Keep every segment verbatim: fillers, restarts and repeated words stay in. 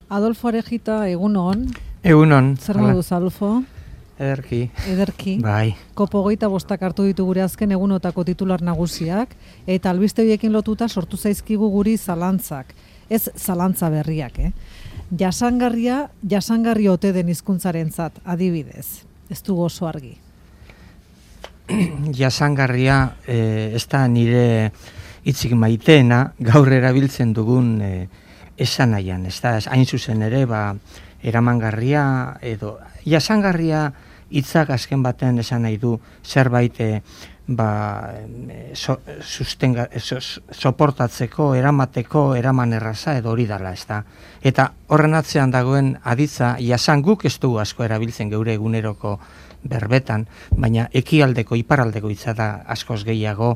Adolfo Arejita, egunon. Egunon. Zer moduz, Adolfo? Ederki. Ederki. Bai. Kopo hogeita bostak hartu ditu gure azken egunotako titular nagusiak, eta albiste horiekin lotuta sortu zaizkigu guri zalantzak. Ez zalantza berriak, eh? Jasangarria, jasangarri ote den hizkuntzarentzat, adibidez. Ez du oso argi. Jasangarria eh, ez da nire hitzik maiteena, gaur erabiltzen dugun eh, esanaian, ez da, hain zuzen ere, ba, eramangarria edo jasangarria hitzak azken baten esan nahi du zerbait eh, ba, so, sustenga, so, soportatzeko, eramateko, eraman erraza edo hori dala, ez da. Eta horren atzean dagoen aditza, jasan guk ez dugu asko erabiltzen geure eguneroko berbetan, baina ekialdeko, iparaldeko hitza da askoz gehiago,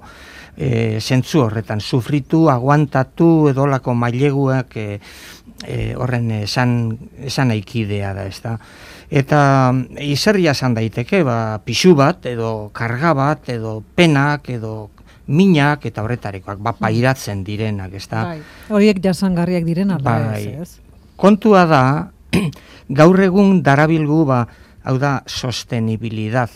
e, zentzu horretan, sufritu, aguantatu, edolako maileguak e, e, horren esan, esan aikidea da, ez da. Eta izerria esan daiteke, ba, pixu bat, edo karga bat, edo penak, edo minak, eta horretarekoak, ba, pairatzen direnak, ez da. Bai. Horiek jasangarriak diren, ala bai. ez, ez? Kontua da, gaur egun darabilgu, ba, hau da, sostenibilidad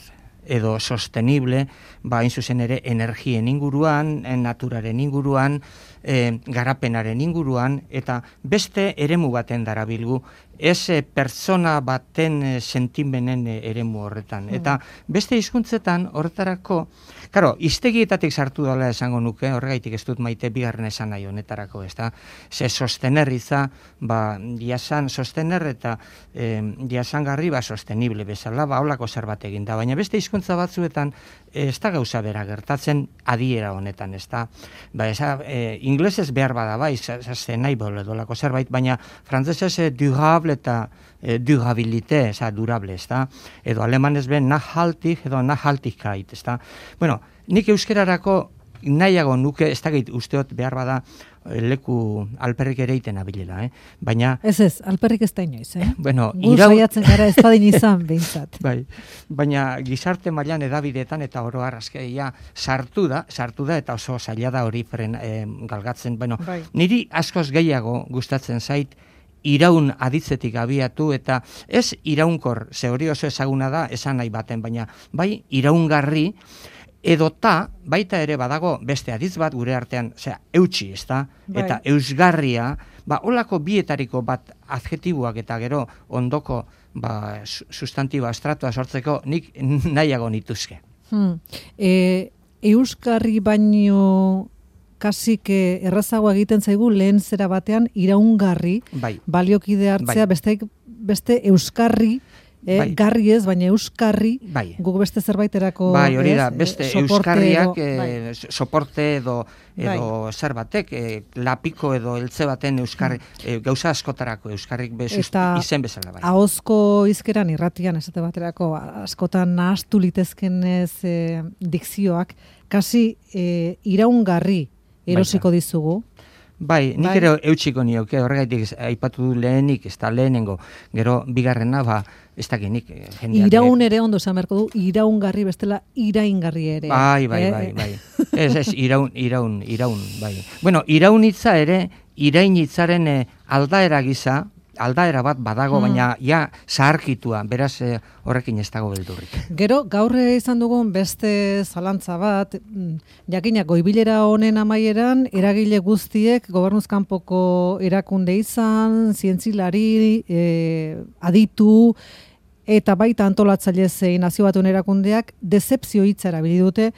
edo sostenible, ba, hain zuzen ere, energien inguruan, naturaren inguruan, e, garapenaren inguruan, eta beste eremu baten darabilgu, ez e, pertsona baten e, sentimenen e, eremu horretan. Eta beste hizkuntzetan horretarako, karo, hiztegietatik sartu dela esango nuke, horregaitik ez dut maite bigarren esan nahi honetarako, ez da, ze sostenerritza, ba, jasan sostener eta e, jasangarri, ba, sostenible bezala, ba, holako zerbait egin da, baina beste hizkuntza batzuetan ez da gauza bera gertatzen adiera honetan, ez da, ba, eza, e, inglesez behar bada, bai, zazen nahi bole dolako zerbait, baina frantzesez e, durable eta e, durabilite, eza, durable, ez da, edo alemanez ben nachhaltig edo nachhaltigkeit, ez da, bueno, nik euskerarako nahiago nuke, ez da gait usteot behar bada leku alperrik ere iten abilela, eh? Baina... Ez ez, alperrik ez da inoiz, eh? Bueno, Gu irau... saiatzen gara ez badin izan, behintzat. Bai, baina gizarte mailan edabideetan eta oro arrazkeia sartu da, sartu da eta oso zaila da hori fren eh, galgatzen. Bueno, bai. Niri askoz gehiago gustatzen zait iraun aditzetik abiatu eta ez iraunkor, ze hori oso ezaguna da esan nahi baten, baina bai iraungarri, edota baita ere badago beste aditz bat gure artean, osea, eutsi, ezta? Bai. Eta eusgarria, ba holako bietariko bat adjektiboak eta gero ondoko ba sustantiba estratua sortzeko nik nahiago nituzke. Hmm. E, euskarri baino kasik errazago egiten zaigu lehen zera batean iraungarri, bai. Baliokide hartzea, bai. beste, beste euskarri, E, bai. Garri ez, baina euskarri, bai. Guk beste zerbaiterako... Bai, hori da, beste euskarriak, edo, bai. e, soporte edo, edo bai. zer batek, e, lapiko edo eltze baten euskarri, e, gauza askotarako euskarrik bezuz, izen bezala. Bai. Ahozko hizkeran irratian esate baterako, askotan nahastu litezken ez e, dikzioak, kasi e, iraungarri erosiko Baita. Dizugu. Bai, nik bai. ere eutxiko nioke, horregaitik aipatu du lehenik, ez da lehenengo, gero bigarrena, ba, ez da genik. Iraun ere ondo esan beharko du, iraungarri bestela iraingarri ere. Bai, bai, eh? bai, bai. Ez, ez, iraun, iraun, iraun, bai. Bueno, iraun hitza ere, irain hitzaren eh, aldaera gisa, aldaera bat badago, hmm. baina ja zaharkitua, beraz eh, horrekin ez dago beldurrik. Gero, gaur izan dugun beste zalantza bat, jakinak goibilera honen amaieran, eragile guztiek, gobernuzkanpoko erakunde izan, zientzilari, eh, aditu, eta baita antolatzaile zein nazio batuen erakundeak, dezepzio hitza erabili dute.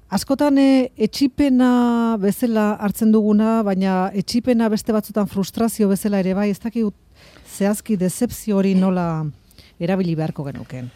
Askotan e, etxipena bezala hartzen duguna, baina etxipena beste batzutan frustrazio bezala ere bai, ez dakit zehazki dezepzio hori nola erabili beharko genuken.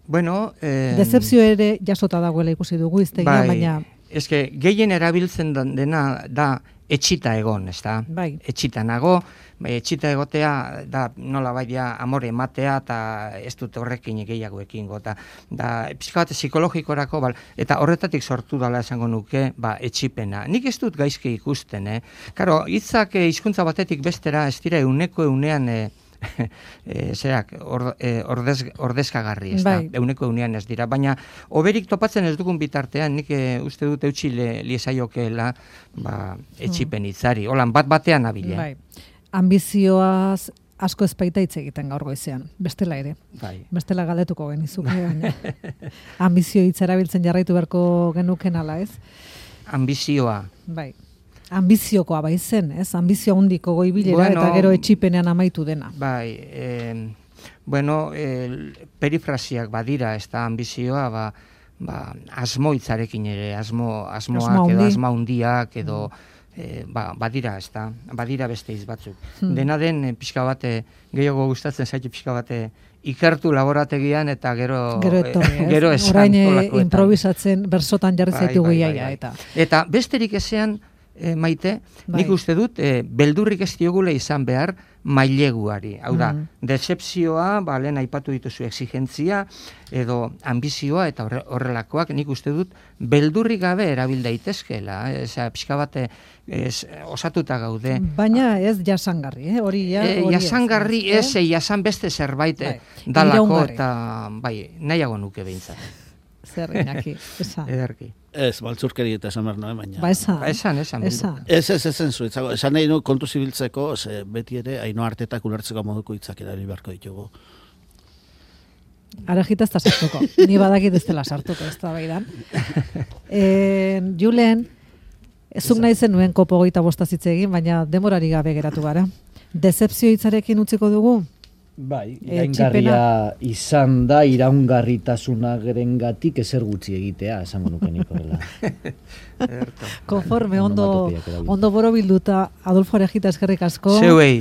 Bueno, eh, dezepzio ere jasota dagoela ikusi dugu iztegia, bai, baina... Eske, gehien erabiltzen dena da etxita egon, ez da? Bai. Etxita nago, bai, etxita egotea da nola baita amore ematea eta ez dut horrekin gehiago ekingo. Da, da pixka bat psikologikorako, bal, eta horretatik sortu dela esango nuke, ba, etxipena. Nik ez dut gaizki ikusten, eh? Karo, hitzak hizkuntza batetik bestera ez dira euneko eunean... Eh, e, zerak, or, e, ordez, ordezkagarri, ez da, bai. Euneko eunean ez dira, baina oberik topatzen ez dugun bitartean, nik e, uste dut eutxi liezaiokeela ba, etxipen hitzari, holan bat batean abile. Bai. Ambizioaz asko ezpaita hitz egiten gaur goizean, bestela ere. Bai. Bestela galdetuko genizuke, baina ambizio hitz erabiltzen jarraitu beharko genuken ala, ez? Ambizioa. Bai. Ambiziokoa bai zen, ez? Ambizio handiko goibilera Bueno, eta gero etxipenean amaitu dena. Bai, eh, bueno, el, perifrasiak badira, ez da ambizioa, ba, ba, asmo hitzarekin ere, asmo, asmoak Asmo edo handi. asma handiak edo eh, ba, badira, ez da, badira beste hitz batzuk. Hmm. Dena den, eh, pixka bate, gehiago gustatzen zaitu pixka bate, ikertu laborategian eta gero Gero etorri, ez? gero esan Orain eh, olakoetan. improvisatzen bersotan jarri Bai, zaitugu bai, bai, iaia bai. eta. Eta besterik ezean, e, Maite, Bai. nik uste dut, e, beldurrik ez diogule izan behar maileguari. Hau da, Mhm. decepzioa, ba, lehen aipatu dituzu exigentzia, edo ambizioa eta horre- horrelakoak, nik uste dut, beldurrik gabe erabil daitezkeela. Eh? Eza, pixka bate, ez, osatuta gaude. Baina ez jasangarri, eh? Hori ja, E, hori ez, jasangarri ez, eh? e, jasan beste zerbait Bai. dalako Iraungarri. eta bai, nahiago nuke behintzat. Zer Iñaki, esa. Ederki. Ez, baltzurkeri eta esan behar noen, baina. Ba esan. Ba, esan, esan. Esan. Ez, ez, ezen zuitzago. Esan nahi nu kontu zibiltzeko, ze beti ere, Ainhoa Artetak ulertzeko moduko hitzak erabili beharko ditugu. Arajita ez da sartuko. Ni badakit ez dela sartuko, ez da baidan. E, Julen, zuk nahi zenuen kopo goita bostazitze egin, baina demorari gabe geratu gara. Dezepzio hitzarekin utziko dugu? Bai, Eh, iraingarria izan da iraungarritasunarengatik ezer gutxi egitea, esango nuke nik horrela. Ederto. Konforme, ondo, Onomatopeak erabili. ondo borobilduta, Adolfo Arejita eskerrik asko. Zeuei,